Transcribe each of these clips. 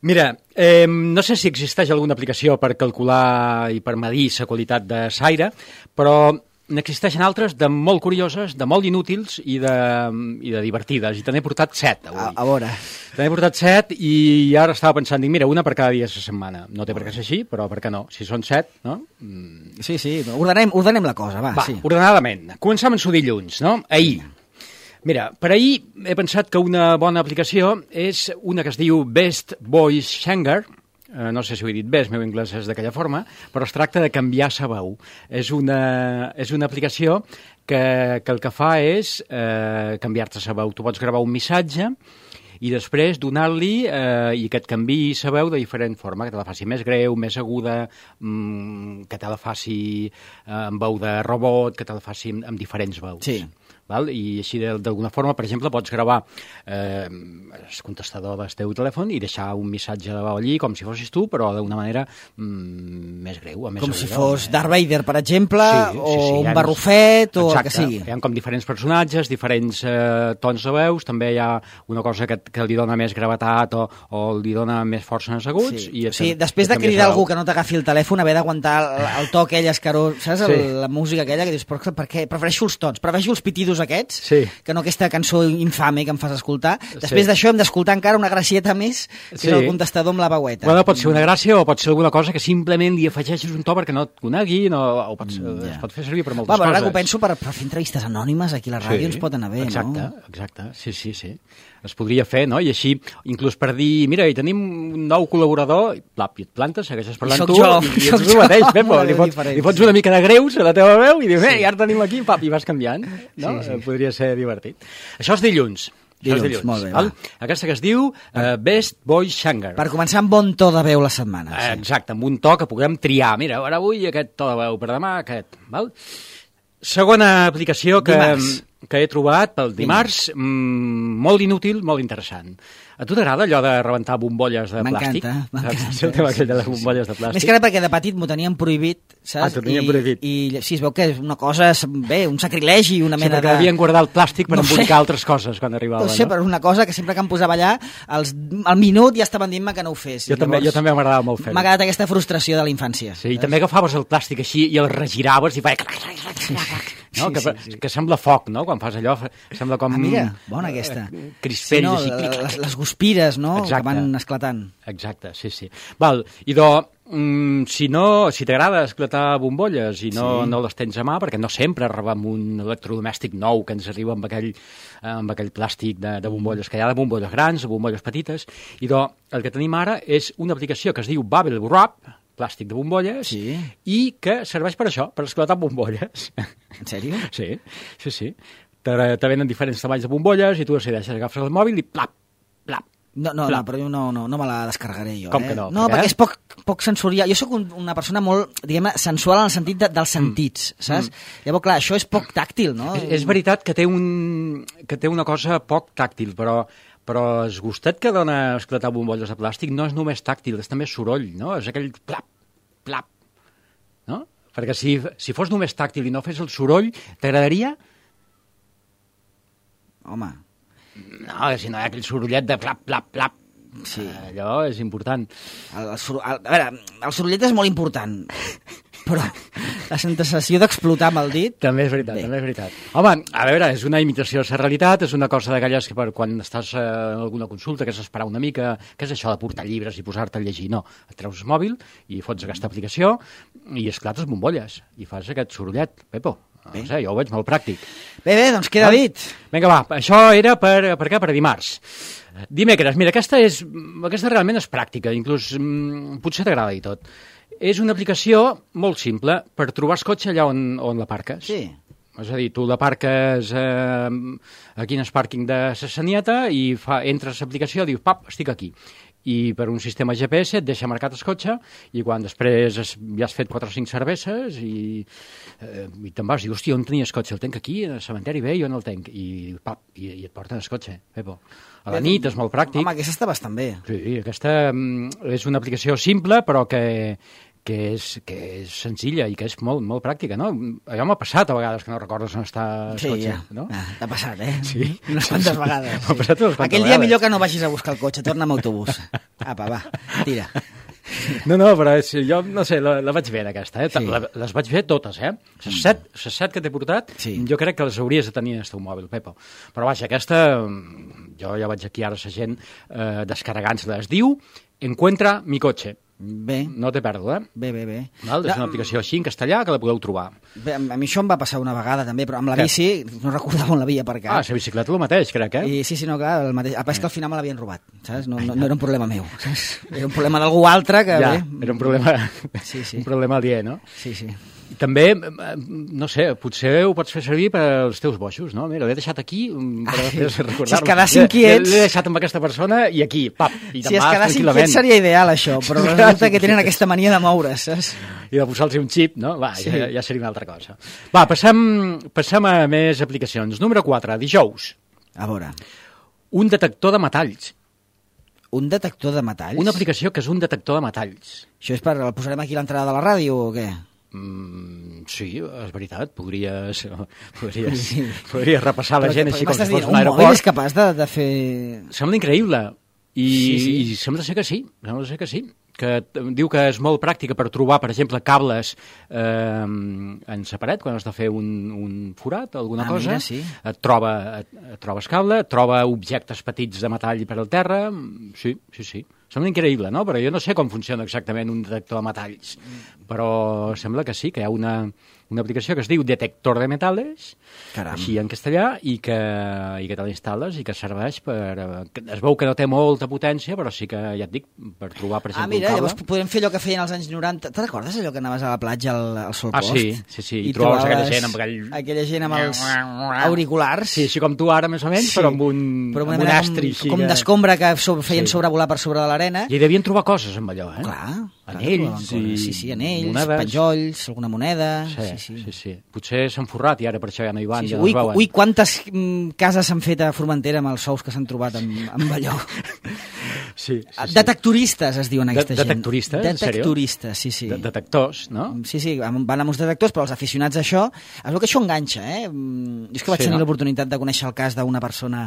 Mira, no sé si existeix alguna aplicació per calcular i per medir la qualitat de l'aire, però n'existeixen altres de molt curioses, de molt inútils i de divertides. I te n'he portat 7 avui. A veure. Te n'he portat 7 i ara estava pensant, dic, mira, una per cada dia de la setmana. No té per què ser així, però per què no? Si són 7, no? Sí, ordenem la cosa, va. Sí. Ordenadament. Començam amb el dilluns, no? Ahir. Mira, per ahir he pensat que una bona aplicació és una que es diu Best Voice Changer. No sé si ho he dit bé, el meu anglès és d'aquella forma, però es tracta de canviar la veu. És una aplicació que el que fa és canviar-te la veu. Tu pots gravar un missatge i després donar-li i que et canviï la veu de diferent forma, que te la faci més greu, més aguda, que te la faci amb veu de robot, que te la faci amb diferents veus. Sí. Val? I així d'alguna forma, per exemple, pots gravar el contestador del teu telèfon i deixar un missatge de veu allí com si fossis tu, però d'una manera més greu. Més com aguda, si fos Darth Vader, per exemple, sí, un barrufet o exacte, el que sigui. Hi ha com diferents personatges, diferents tons de veus, també hi ha una cosa que li dona més gravetat o li dona més força en els aguts. Sí, després de cridar algú que no t'agafi el telèfon, haver d'aguantar el to aquell escarós, saps? Sí. La música aquella que dius, per què? Prefereixo els tons, prefereixo els pitidos aquests, sí, que no aquesta cançó infame que em fas escoltar. Després d'això hem d'escoltar encara una gracieta més, que és el contestador amb la veueta. Bueno, pot ser una gràcia o pot ser alguna cosa que simplement li afegeixis un to perquè no et coneguin o es pot fer servir per moltes coses. Ara que ho penso, per fer entrevistes anònimes aquí a la ràdio ens pot anar bé, exacte, no? Exacte, sí. Es podria fer, no? I així, inclús per dir, mira, hi tenim un nou col·laborador, i et plantes, segueixes parlant tu, i ets tu mateix, Pepo, li fots una mica de greus a la teva veu i dius, i ara tenim aquí, i vas canviant, no? Sí. Podria ser divertit. Això és dilluns. Molt bé, val? Aquesta que es diu Best Voice Changer. Per començar amb bon to de veu la setmana. Sí. Exacte, amb un to que puguem triar. Mira, ara avui aquest to de veu, per demà aquest. Val? Segona aplicació que he trobat pel dimarts, molt inútil, molt interessant. A tu t'agrada allò de rebentar bombolles de plàstic? M'encanta. El tema aquell de les bombolles de plàstic. Més que res perquè de petit m'ho tenien prohibit, saps? T'ho tenien prohibit. I sí, es veu que és una cosa, bé, un sacrilegi, una mena de... Sí, perquè devien guardar el plàstic per embolicar altres coses quan arribava, no? No sé, però és una cosa que sempre que em posava allà, al minut ja estaven dint-me que no ho fes. Jo també m'agradava molt fer-ho. M'ha agradat aquesta frustració de la infància. Sí, i també agafaves el plàstic així i el regiraves i feia... No? Que sembla foc, no? Quan fas allò, sembla com... mira, bona aquesta. Crispells així. Les guspires, no? Exacte. Que van esclatant. Exacte, sí. Val, idò, si t'agrada esclatar bombolles i no les tens a mà, perquè no sempre rebem un electrodomèstic nou que ens arriba amb aquell plàstic de bombolles, que hi ha de bombolles grans, de bombolles petites, idò, el que tenim ara és una aplicació que es diu Bubble Wrap, plàstic de bombolles, i que serveix per això, per esclatar bombolles. En sèrio? Sí. Te venen diferents tamanys de bombolles i tu decideixes, agafes el mòbil i plap. No, però jo no me la descarregaré jo. Com que no? No, perquè és poc sensorial. Jo sóc una persona molt, diguem-ne, sensual en el sentit dels sentits, saps? Llavors, clar, això és poc tàctil, no? És veritat que té una cosa poc tàctil, però el gustet que dona esclatar bombolles de plàstic no és només tàctil, és també soroll, no? És aquell plap, no? Perquè si fos només tàctil i no fes el soroll, t'agradaria? Home... No, si no hi ha aquell sorollet de plap. Sí. Allò és important. A veure, el sorollet és molt important, però la sensació d'explotar amb el dit... També és veritat. Home, a veure, és una imitació de la realitat, és una cosa d'aquelles que quan estàs en alguna consulta, que has d'esperar una mica, què és això de portar llibres i posar-te a llegir? No, et treus el mòbil i fots aquesta aplicació i esclates bombolles i fas aquest sorollet, Pepo. No sé, jo ho veig molt pràctic. Bé, doncs queda dit. Vinga, va, això era per dimarts. Dimecres, mira, aquesta realment és pràctica, inclús potser t'agrada i tot. És una aplicació molt simple per trobar el cotxe allà on l'aparques. Sí. És a dir, tu l'aparques aquí en el pàrquing de la Sanieta i entres a l'aplicació i dius, pap, estic aquí. I per un sistema GPS et deixa marcat el cotxe i quan després ja has fet 4 o 5 cerveses i te'n vas i dius, hòstia, on tenies cotxe? El tenc aquí, al cementeri bé, jo no el tenc. I et porten el cotxe, Pepo. A la nit és molt pràctic. Home, aquesta està bastant bé. Sí, aquesta és una aplicació simple però que que és senzilla i que és molt, molt pràctica, no? Allò m'ha passat a vegades que no recordes on està el cotxe, no? T'ha passat, Sí. Unes quantes vegades. M'ha passat unes quantes Aquell dia vegades. millor que no vagis a buscar el cotxe, torna amb autobús. Apa, va, tira. No, però jo, no sé, la vaig bé, aquesta, eh? Sí. Les vaig bé totes, eh? Les set que t'he portat, jo crec que les hauries de tenir en el teu mòbil, Pepo. Però vaja, aquesta, jo ja vaig aquí ara la gent descarregant-se-la. Es diu Encuentra mi coche. Bé. No té pèrdua, eh? Bé. Val? És una aplicació així en castellà que la podeu trobar. Bé, a mi això em va passar una vegada també, però amb la bici no recordava on l'havia aparcat. Ah, la bicicleta el mateix, crec, eh? Sí, no, clar, el mateix. És que al final me l'havien robat, saps? No era un problema meu, saps? Era un problema d'algú altre que... Ja, bé, era un problema, sí. un problema aliè, no? Sí. I també, no sé, potser ho pots fer servir per als teus boixos, no? Mira, l'he deixat aquí per després recordar-lo. Si es quedassin quiets... L'he deixat amb aquesta persona i aquí, pap, i te'n si es vas quedassin tranquil·lament. quiets seria ideal, això, però resulta que tenen aquesta mania de moure's, saps? I de posar-los un xip, no? Va, sí. ja seria una altra cosa. Va, passem a més aplicacions. Número 4, dijous. A veure. Un detector de metalls. Un detector de metalls? Una aplicació que és un detector de metalls. Això és per... El posarem aquí a l'entrada de la ràdio o què? Sí, és veritat, podries repassar la gent així com si fos un mòbil aeroport. és capaç de fer... Sembla increïble, sí. i sembla ser que sí, que diu que és molt pràctica per trobar, per exemple, cables en sa paret, quan has de fer un forat o alguna cosa. Mira, sí. Et trobes cable, et troba objectes petits de metall per al terra. Sí. Sembla increïble, no? Però jo no sé com funciona exactament un detector de metalls, però sembla que sí, que hi ha una aplicació que es diu Detector de Metales, així en castellà, i que te l'instal·les i que serveix per... Es veu que no té molta potència, però sí que, ja et dic, per trobar, per exemple, mira, un cable. Llavors podem fer allò que feien als anys 90. Te'n recordes allò que anaves a la platja al Sol Post? Sí. I trobaves aquella gent amb aquella gent amb els auriculars. Sí, així com tu ara, més o menys, però amb un astri. Com d'escombra que feien sobrevolar per sobre de l'arena. I hi devien trobar coses amb allò, eh? Clar. Anells Sí, anells, monades. penjolls, alguna moneda... Sí. Potser s'han forrat i ara per això ja no hi van, ja no es veuen. Ui, quantes cases s'han fet a Formentera amb els sous que s'han trobat amb allò. Sí. Detectoristes es diuen aquesta gent. Detectoristes, en sèrio? Detectoristes, sí. Detectors, no? Sí, van amb uns detectors, però els aficionats a això... Es veu que això enganxa, eh? Jo és que vaig tenir l'oportunitat de conèixer el cas d'una persona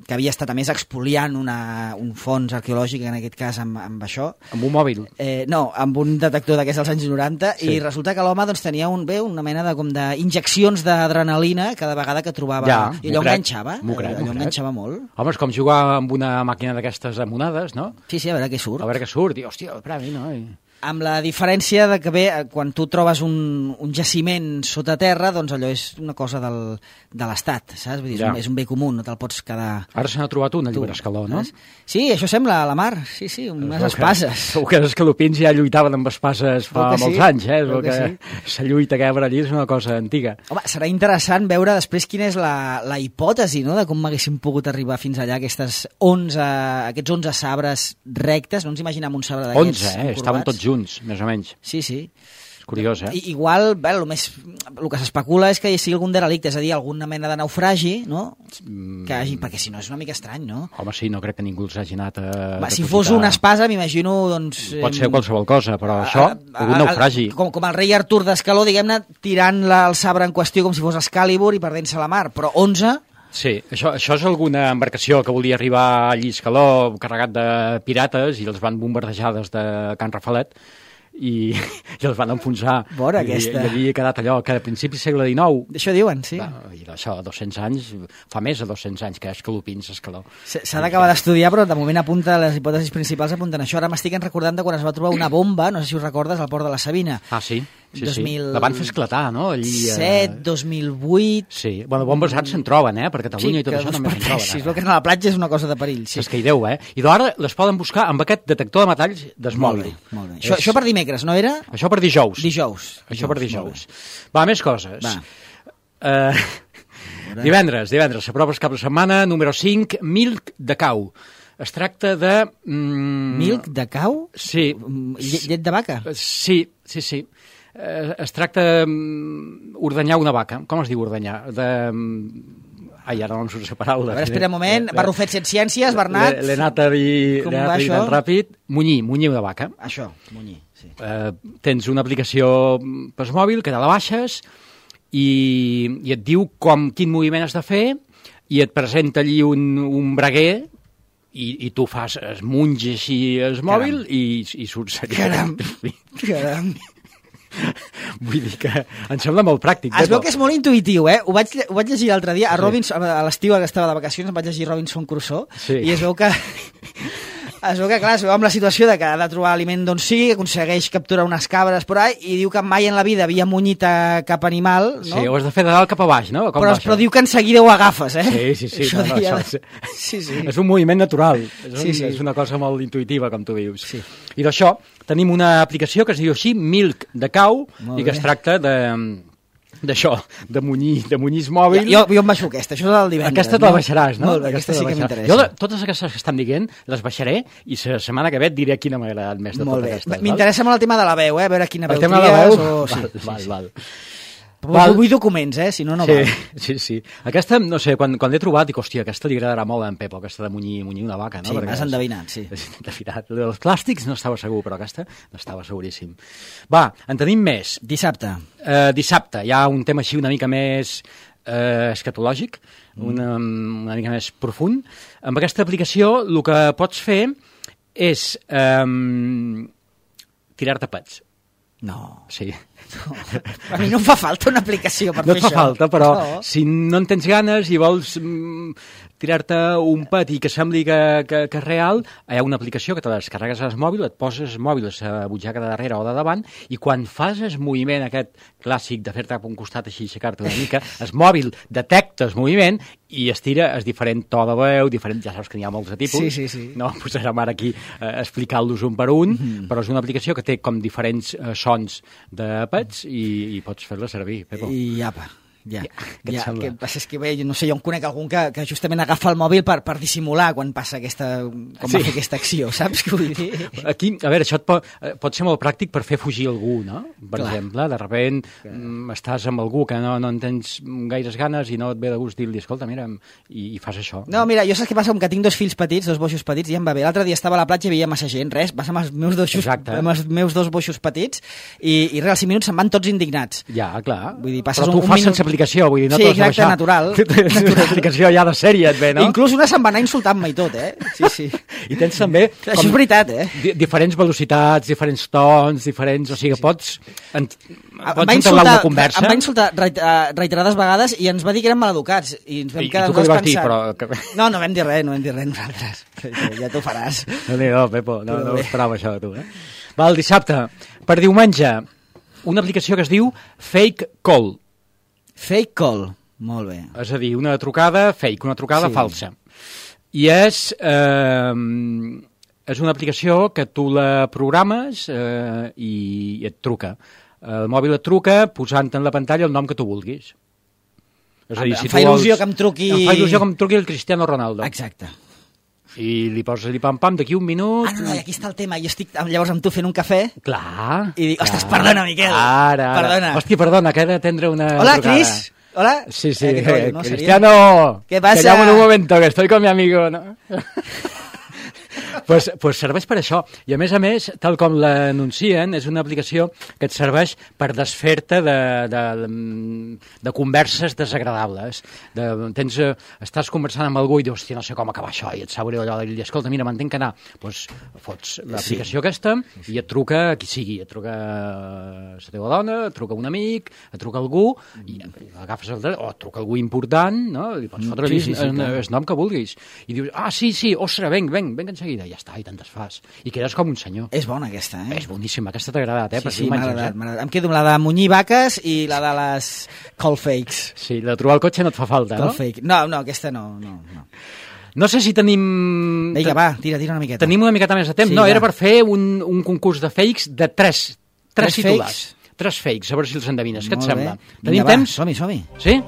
que havia estat, a més, expoliant un fons arqueològic, en aquest cas amb això. Amb un mòbil? No, amb un detector d'aquests dels anys 90, i resulta que l'home tenia una mena d'injeccions d'adrenalina cada vegada que trobava... I allò enganxava. Allò enganxava molt. Home, és com jugar amb una màquina d'aquestes de monades, no? Sí, a veure què surt. A veure què surt. I, hòstia, el premi, no? Amb la diferència de que quan tu trobes un jaciment sota terra, doncs allò és una cosa de l'Estat, saps? Vull dir, és un bé comú, no te'l pots quedar... Ara se n'ha trobat un, a Llibrescaló, no? Sí, això sembla a la mar, sí, unes espases. Segur que els escalopins ja lluitaven amb espases fa molts anys, eh? La lluita que hi ha per allí és una cosa antiga. Home, serà interessant veure després quina és la hipòtesi, no?, de com m'haguéssim pogut arribar fins allà, aquests 11 sabres rectes, no ens imaginem un sabre d'aquests 11, estaven tots junts, més o menys. Sí. És curiós, eh? Igual, el que s'especula és que hi sigui algun derelicte, és a dir, alguna mena de naufragi, no? Perquè si no és una mica estrany, no? Home, sí, no crec que ningú els hagi anat a... Si fos una espasa, m'imagino, doncs... Pot ser qualsevol cosa, però això, algun naufragi. Com el rei Artur d'Escaló, diguem-ne, tirant el sabre en qüestió com si fos Excalibur i perdent-se a la mar, però 11... Sí, això és alguna embarcació que volia arribar a Lliscaló carregat de pirates i els van bombardejar des de Can Rafalet i els van enfonsar. Vora aquesta. I havia quedat allò que a principi segle XIX... Això diuen, sí. I això, 200 anys, fa més de 200 anys que escalopins, Escaló. S'ha d'acabar d'estudiar, però de moment apunta les hipòtesis principals apunten això. Ara m'estic recordant de quan es va trobar una bomba, no sé si us recordes, al port de la Sabina. Ah, sí? Sí. La van fer esclatar, no? Allí, 2007, 2008... Sí, bueno, bombes ara se'n troben, per Catalunya i tot això també se'n troben. Si es veu que a la platja és una cosa de perill. És que hi deu, I ara les poden buscar amb aquest detector de metalls del mòbil. Molt bé. Això per dimecres, no era? Això per dijous. Això per dijous. Va, més coses. Divendres, s'aprova el cap de setmana, número 5, Milk de Cau. Es tracta de... Milk de cau? Sí. Llet de vaca? Sí. Es tracta d'ordenyar una vaca. Com es diu ordenyar? Ai, ara no em surt la paraula. A veure, espera un moment. Barrufet sense ciències, Bernat. L'he anat a dir tan ràpid. Munyir una vaca. Això, munyir, sí. Tens una aplicació per mòbil que te la baixes i et diu quin moviment has de fer i et presenta allí un braguer i tu fas, es munges així el mòbil i surts allà. Caram. Vull dir que em sembla molt pràctic. Es veu que és molt intuïtiu, eh? Ho vaig llegir l'altre dia, a l'estiu que estava de vacacions em vaig llegir Robinson Crusoe i es veu que... clar, es veu amb la situació de que ha de trobar aliment d'on sigui, que aconsegueix capturar unes cabres por ahí, i diu que mai en la vida havia munyit cap animal, no? Sí, ho has de fer de dalt cap a baix, no? Però diu que en seguida ho agafes, eh? Sí. Sí. És un moviment natural, és una cosa molt intuïtiva, com tu dius. Sí. I d'això tenim una aplicació que es diu així, Milk de Cow, i que es tracta d'això, de munyir el mòbil. Jo em baixo aquesta, això és el divendres. Aquesta te la baixaràs, no? Molt bé, aquesta sí que m'interessa. Jo totes aquestes que estan dient les baixaré i la setmana que ve et diré quina m'ha agradat més de totes aquestes. M'interessa molt el tema de la veu, a veure quina veu tries. El tema de la veu? Val. Vull documents, si no val. Sí. Aquesta, no sé, quan l'he trobat, dic, hòstia, aquesta li agradarà molt a en Pepo, aquesta de munyir una vaca, no? Sí, m'has endevinat, sí. Els plàstics no estava segur, però aquesta no estava seguríssim. Va, en tenim més. Dissabte, hi ha un tema així una mica més escatològic, una mica més profund. Amb aquesta aplicació el que pots fer és tirar-te pets. No. Sí. No. A mi no em fa falta una aplicació per fer això. No et fa falta, però si no en tens ganes i vols tirar-te un pet i que sembli que és real, hi ha una aplicació que te la descarregues al mòbil, et poses el mòbil a la butxaca de darrere o de davant i quan fas el moviment aquest clàssic de fer-te cap a un costat així, aixecar-te una mica, el mòbil detecta el moviment i es tira el diferent to de veu, ja saps que n'hi ha molts de tipus. Sí. No posarem ara aquí explicant-los un per un, però és una aplicació que té com diferents sons de pets i pots fer-la servir, Pepo. I apa. Ja. Què passa és que bé, no sé, jo en conec algun que justament agafa el mòbil per dissimular quan passa va fer aquesta acció, saps què vull dir? Aquí, a veure, això pot ser molt pràctic per fer fugir algú, no? Per exemple, de repent estàs amb algú que no en tens gaires ganes i no et ve de gust dir-li, escolta, mira, i fas això. No, mira, jo saps què passa? Com que tinc dos fills petits, dos boixos petits, ja em va bé. L'altre dia estava a la platja i veia massa gent, vas amb els meus dos boixos petits i res, als 5 minuts se'n van tots indignats. Ja, clar. Vull dir, però tu ho fas sense aplicació, vull dir, no t'ho has de baixar. Natural. Una aplicació ja de sèrie et ve, no? Inclús una se'n va anar insultant-me i tot, Sí. I tens també... Això és veritat, diferents velocitats, diferents tons, o sigui, pots entablar una conversa. Em va insultar reiterades vegades i ens va dir que eren maleducats. I ens vam quedar tu què li vas dir, però... No vam dir res nosaltres. Ja t'ho faràs. No, Pepo, no esperava això de tu, Va, el dissabte, per diumenge, una aplicació que es diu Fake Call. Fake Call, molt bé. És a dir, una trucada fake, una trucada falsa. I és una aplicació que tu la programes i et truca. El mòbil et truca posant en la pantalla el nom que tu vulguis. És a dir, em fa il·lusió que em truqui... Em fa il·lusió que em truqui el Cristiano Ronaldo. Exacte. I li poses pam-pam, d'aquí un minut... No, aquí està el tema. Jo estic llavors amb tu fent un cafè... Clar. I dic, ostres, perdona, Miquel. Ara. Perdona. Hòstia, perdona, que he d'atendre una Hola, trucada. Cris. Hola. Sí, no, Cristiano. ¿Qué pasa? Te llamo en un momento, que estoy con mi amigo, ¿no? Pues serveix per això. I a més, tal com l'anuncien, és una aplicació que et serveix per desfer-te de converses desagradables. Estàs conversant amb algú i dius, hòstia, no sé com acabar això, i et sap greu allò, i dius, escolta, mira, m'entenc que anar. Doncs fots l'aplicació aquesta i et truca qui sigui. Et truca la teva dona, et truca un amic, et truca algú, i agafes el telèfon, o et truca algú important, no? I pots fotre el nom que vulguis. I dius, sí, ostres, venc en seguida. Ja està, i te'n desfas. I quedes com un senyor. És bona aquesta, És boníssima, aquesta t'ha agradat, Sí, m'ha agradat. Em quedo amb la de munyir vaques i la de les call fakes. Sí, la de trobar el cotxe no et fa falta, call fake. No, aquesta no. No sé si tenim... Vinga, va, tira una miqueta. Tenim una miqueta més de temps. No, era per fer un concurs de fakes de tres titulars. Tres fakes, a veure si els endevines. Què et sembla? Tenim temps? Som-hi. Sí?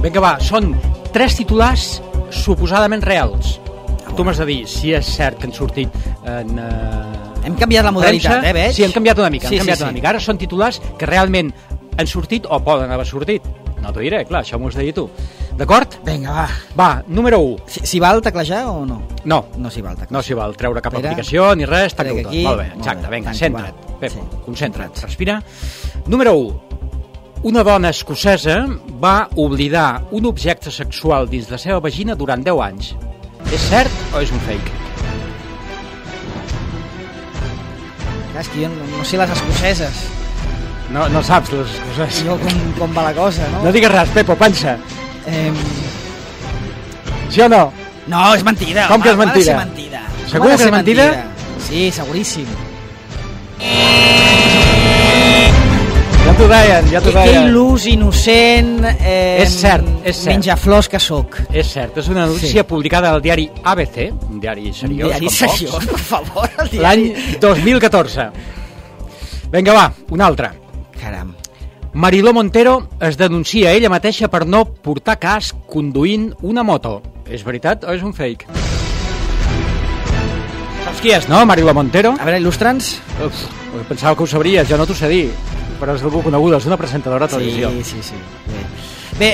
Vinga, va, són 3 titulars suposadament reals. Tu m'has de dir si és cert que han sortit en... Hem canviat la modalitat, veig? Sí, hem canviat una mica. Ara són titulars que realment han sortit o poden haver sortit. No t'ho diré, clar, això m'ho has de dir tu. D'acord? Vinga, va. Va, número 1. Si val teclejar o no? No. No s'hi val teclejar. No s'hi val treure cap aplicació ni res, tanca-ho tot. aquí. Molt bé, exacte, vinga, Tanco, centra't. va. Pepo, Sí, concentra't, respira. Número 1. Una dona escocesa va oblidar un objecte sexual dins la seva vagina durant 10 anys. És cert o és un fake? Clar, és que jo no sé les escoceses. No saps les coses. Jo com va la cosa, no? No digues res, Pepo, pensa. Sí o no? No, és mentida. Com que és home, mentida? Ha de ser mentida. Segur Ha de que ser és mentida? Sí, seguríssim. Ja t'ho deien, ja t'ho Que deien. il·lus, innocent... És cert, és cert. Menjaflors que sóc. És cert, és una notícia publicada al diari ABC, un diari seriós, Diari com seriós, pocs, per favor. El diari. l'any 2014. Vinga, va, una altra. Caram. Mariló Montero es denuncia ella mateixa per no portar casc conduint una moto. És veritat o és un fake? Saps qui és, no, Mariló Montero? A veure, il·lustra'ns. Uf, pensava que ho sabries, jo no t'ho sé dir, però és algú coneguda, és una presentadora de televisió. Sí. Bé,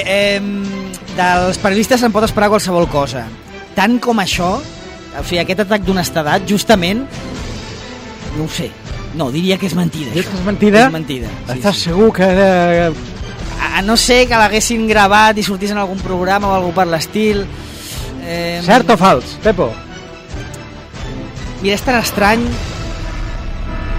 dels periodistes se'n pot esperar qualsevol cosa. Tant com això, o sigui, aquest atac d'honestedat, justament, no ho sé. No, diria que és mentida. Dius que és mentida? És mentida. Estàs segur que... A no ser que l'haguessin gravat i sortís en algun programa o algú per l'estil. Cert o fals, Pepo? Mira, és tan estrany...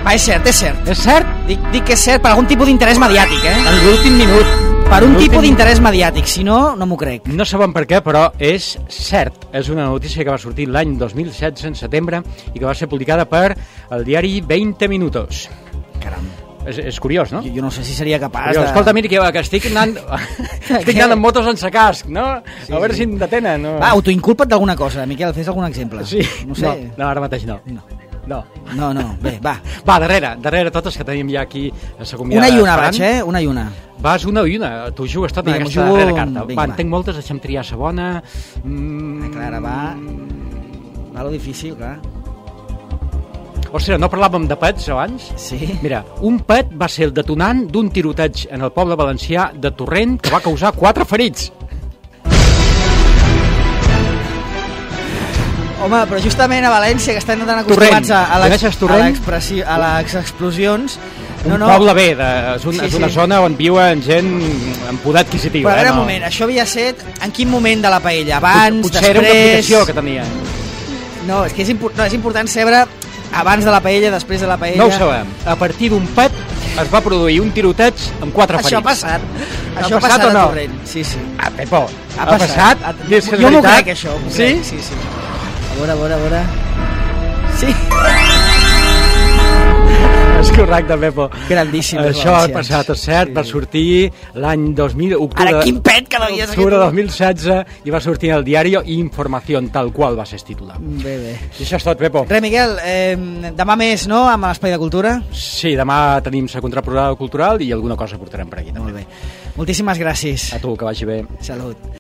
Va, és cert, és cert. És cert? Dic que és cert per algun tipus d'interès mediàtic, En l'últim minut. Per un tipus d'interès mediàtic, si no, no m'ho crec. No sabem per què, però és cert. És una notícia que va sortir l'any 2016, en setembre, i que va ser publicada per el diari 20 Minutos. Caram. És curiós, no? Jo no sé si seria capaç Curiós. de... Escolta, mira, que estic anant amb motos sense casc, no? Sí, a veure si em detenen. No? Va, autoinculpa't d'alguna cosa, Miquel, fes algun exemple. Sí, No sé. no, ara mateix no. No. Bé, va. Va, darrere totes que tenim ja aquí a la convidada. Una i una esperant. vaig, una i una. Vas una i una, tu jugues tot en Vinga, aquesta jugo... darrera carta. Vinga, Va, en tinc moltes, deixa'm triar la bona. Clara, va lo difícil, clar. Ostres, no parlàvem de pets abans? Sí. Mira, un pet va ser el detonant d'un tiroteig en el poble valencià de Torrent que va causar 4 ferits. Home, però justament a València, que estan tan acostumats a les explosions... Un poble bé, és una zona on viuen gent amb poder adquisitiu. Però a veure, un moment, això havia set en quin moment de la paella? Abans, Potser després... era una aplicació que tenia. No, és que és important saber abans de la paella, després de la paella... No ho sabem. A partir d'un pet es va produir un tiroteig amb 4 ferits. Això ha passat. Això ha passat o no? Sí. Ah, Pepo, ha passat? Jo m'ho crec, això. Sí? Sí. A veure... Sí. És correcte, Pepo. Grandíssim. Això ha passat, és cert, va sortir l'any 2000... Ara, quin pet que l'havies... Octubre de 2016 i va sortir al diari Informació, tal qual va ser titular. Bé. I això és tot, Pepo. Res, Miquel, demà més, no?, amb l'Espai de Cultura? Sí, demà tenim la contraprograma cultural i alguna cosa portarem per aquí, també. Molt bé. Moltíssimes gràcies. A tu, que vagi bé. Salut.